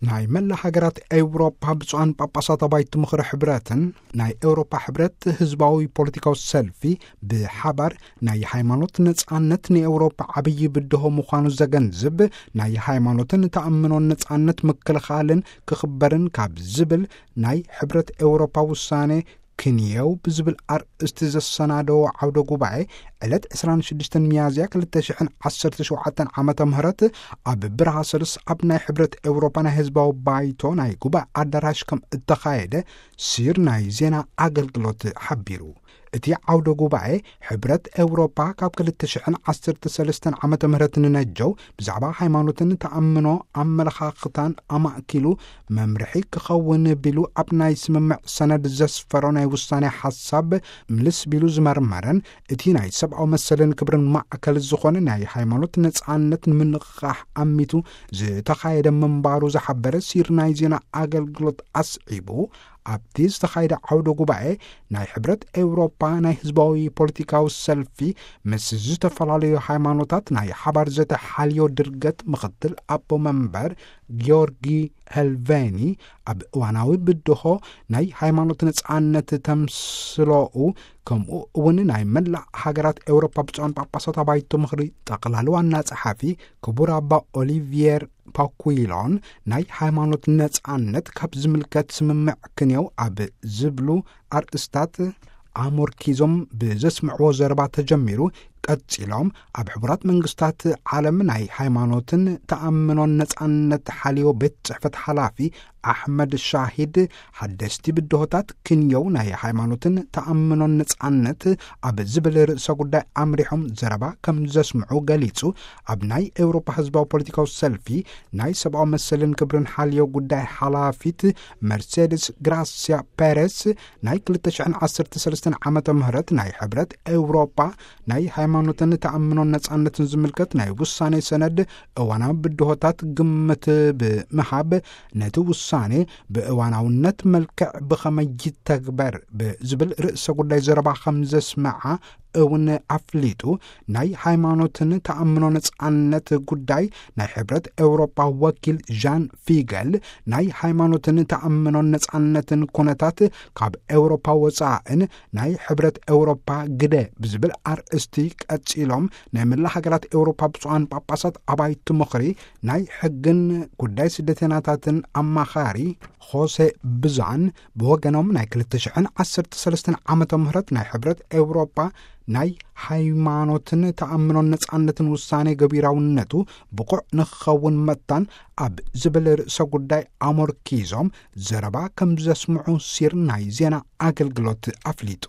ናይ መላ ሃገራት ኤውሮፓ ብፁዓን ጳጳሳት ኣባይቲ ምኽሪ ሕብረትን ናይ ኤውሮፓ ሕብረት ህዝባዊ ፖለቲካዊ ሰልፊ ብሓባር ናይ ሃይማኖት ነጻነት ንኤውሮፓ ዓብዪ ብድሆ ምዃኑ ዘገንዝብ፣ ናይ ሃይማኖትን ተኣምኖን ነጻነት ምክልኻልን ክኽበርን ካብ ዝብል ናይ ሕብረት ኤውሮፓ ውሳኔ ክንየው ብዝብል ኣርእስቲ ዘሰናደዎ ዓውደ ጉባኤ ዕለት ዕስራን ሽዱሽተን ሚያዝያ ክልተ ሽሕን ዓሰርተ ሸውዓተን ዓመተ ምህረት ኣብ ብራሰልስ ኣብ ናይ ሕብረት ኤውሮፓ ናይ ህዝባዊ ባይቶ ናይ ጉባኤ ኣዳራሽ ከም እተኻየደ ሲር ናይ ዜና ኣገልግሎት ሓቢሩ። እቲ ዓውደ ጉባኤ ሕብረት ኤውሮፓ ካብ ክልተ ሽሕን ዓሰርተ ሰለስተን ዓመተ ምህረት ንነጀው ብዛዕባ ሃይማኖትን ተኣምኖ ኣመለኻኽታን ኣማእኪሉ መምርሒ ክኸውን ቢሉ ኣብ ናይ ስምምዕ ሰነድ ዘስፈሮ ናይ ውሳኔ ሓሳብ ምልስ ቢሉ ዝመርመረን እቲ ናይ ሰብኣዊ መሰልን ክብርን ማዕከል ዝኾነ ናይ ሃይማኖት ነጻነት ንምንቕቓሕ ኣሚቱ ዝተኻየደ ምንባሩ ዝሓበረ ሲር ናይ ዜና ኣገልግሎት ኣስዒቡ፣ ኣብቲ ዝተኻየደ ዓውደ ጉባኤ ናይ ሕብረት ኤውሮፓ ናይ ህዝባዊ ፖለቲካዊ ሰልፊ ምስ ዝተፈላለዩ ሃይማኖታት ናይ ሓባር ዘተ ሓልዮ ድርገት ምኽትል ኣቦ መንበር ጊዮርጊ ሄልቬኒ ኣብ እዋናዊ ብድሆ ናይ ሃይማኖት ነጻነት ተምስሎኡ፣ ከምኡ እውን ናይ መላእ ሃገራት ኤውሮፓ ብፁዓን ጳጳሳት ኣባይቲ ምኽሪ ጠቕላሊ ዋና ጸሓፊ ክቡር ኣባ ኦሊቪየር ፓኩይሎን ናይ ሃይማኖት ነጻነት ካብ ዝምልከት ስምምዕ ክንየው ኣብ ዝብሉ ኣርእስታት ኣሞርኪዞም ብዘስምዕዎ ዘረባ ተጀሚሩ፣ ቀጺሎም ኣብ ሕቡራት መንግስታት ዓለም ናይ ሃይማኖትን ተኣምኖን ነጻነት ሓልዮ ቤት ጽሕፈት ሓላፊ ኣሕመድ ሻሂድ ሓደስቲ ብድሆታት ክንየው ናይ ሃይማኖትን ተኣምኖን ነጻነት ኣብ ዝብል ርእሰ ጉዳይ ኣምሪሖም ዘረባ ከም ዘስምዑ ገሊጹ። ኣብ ናይ ኤውሮፓ ህዝባዊ ፖለቲካዊ ሰልፊ ናይ ሰብኣዊ መሰልን ክብርን ሓልዮ ጉዳይ ሓላፊት መርሴድስ ግራሲያ ፔሬስ ናይ ክልተ ሽሕን ዓሰርተ ሰለስተን ዓመተ ምህረት ናይ ሕብረት ኤውሮፓ ናይ ሃይማኖትን ተኣምኖን ነጻነትን ዝምልከት ናይ ውሳኔ ሰነድ እዋናዊ ብድሆታት ግምት ብምሃብ፣ ነቲ ውሳኔ ብእዋናውነት መልክዕ ብኸመይ ይተግበር ብዝብል ርእሰ ጉዳይ ዘረባ ከም ዘስመዓ እውን ኣፍሊጡ። ናይ ሃይማኖትን ተኣምኖ ነጻነት ጉዳይ ናይ ሕብረት ኤውሮፓ ወኪል ዣን ፊገል ናይ ሃይማኖትን ተኣምኖን ነጻነትን ኩነታት ካብ ኤውሮፓ ወጻእን ናይ ሕብረት ኤውሮፓ ግደ ብዝብል ኣርእስቲ ቀጺሎም፣ ናይ መላ ሃገራት ኤውሮፓ ብፁዓን ጳጳሳት ኣባይቲ ምኽሪ ናይ ሕግን ጉዳይ ስደተኛታትን ኣማኻሪ ሆሴ ብዛን ብወገኖም ናይ ክልተ ሽሕን ዓሰርተ ሰለስተን ዓመተ ምህረት ናይ ሕብረት ኤውሮፓ ናይ ሃይማኖትን ተኣምኖን ነጻነትን ውሳኔ ገቢራውነቱ ብቑዕ ንክኸውን መታን ኣብ ዝብል ርእሰ ጉዳይ ኣሞርኪዞም ዘረባ ከም ዘስምዑ ሲር ናይ ዜና ኣገልግሎት ኣፍሊጡ።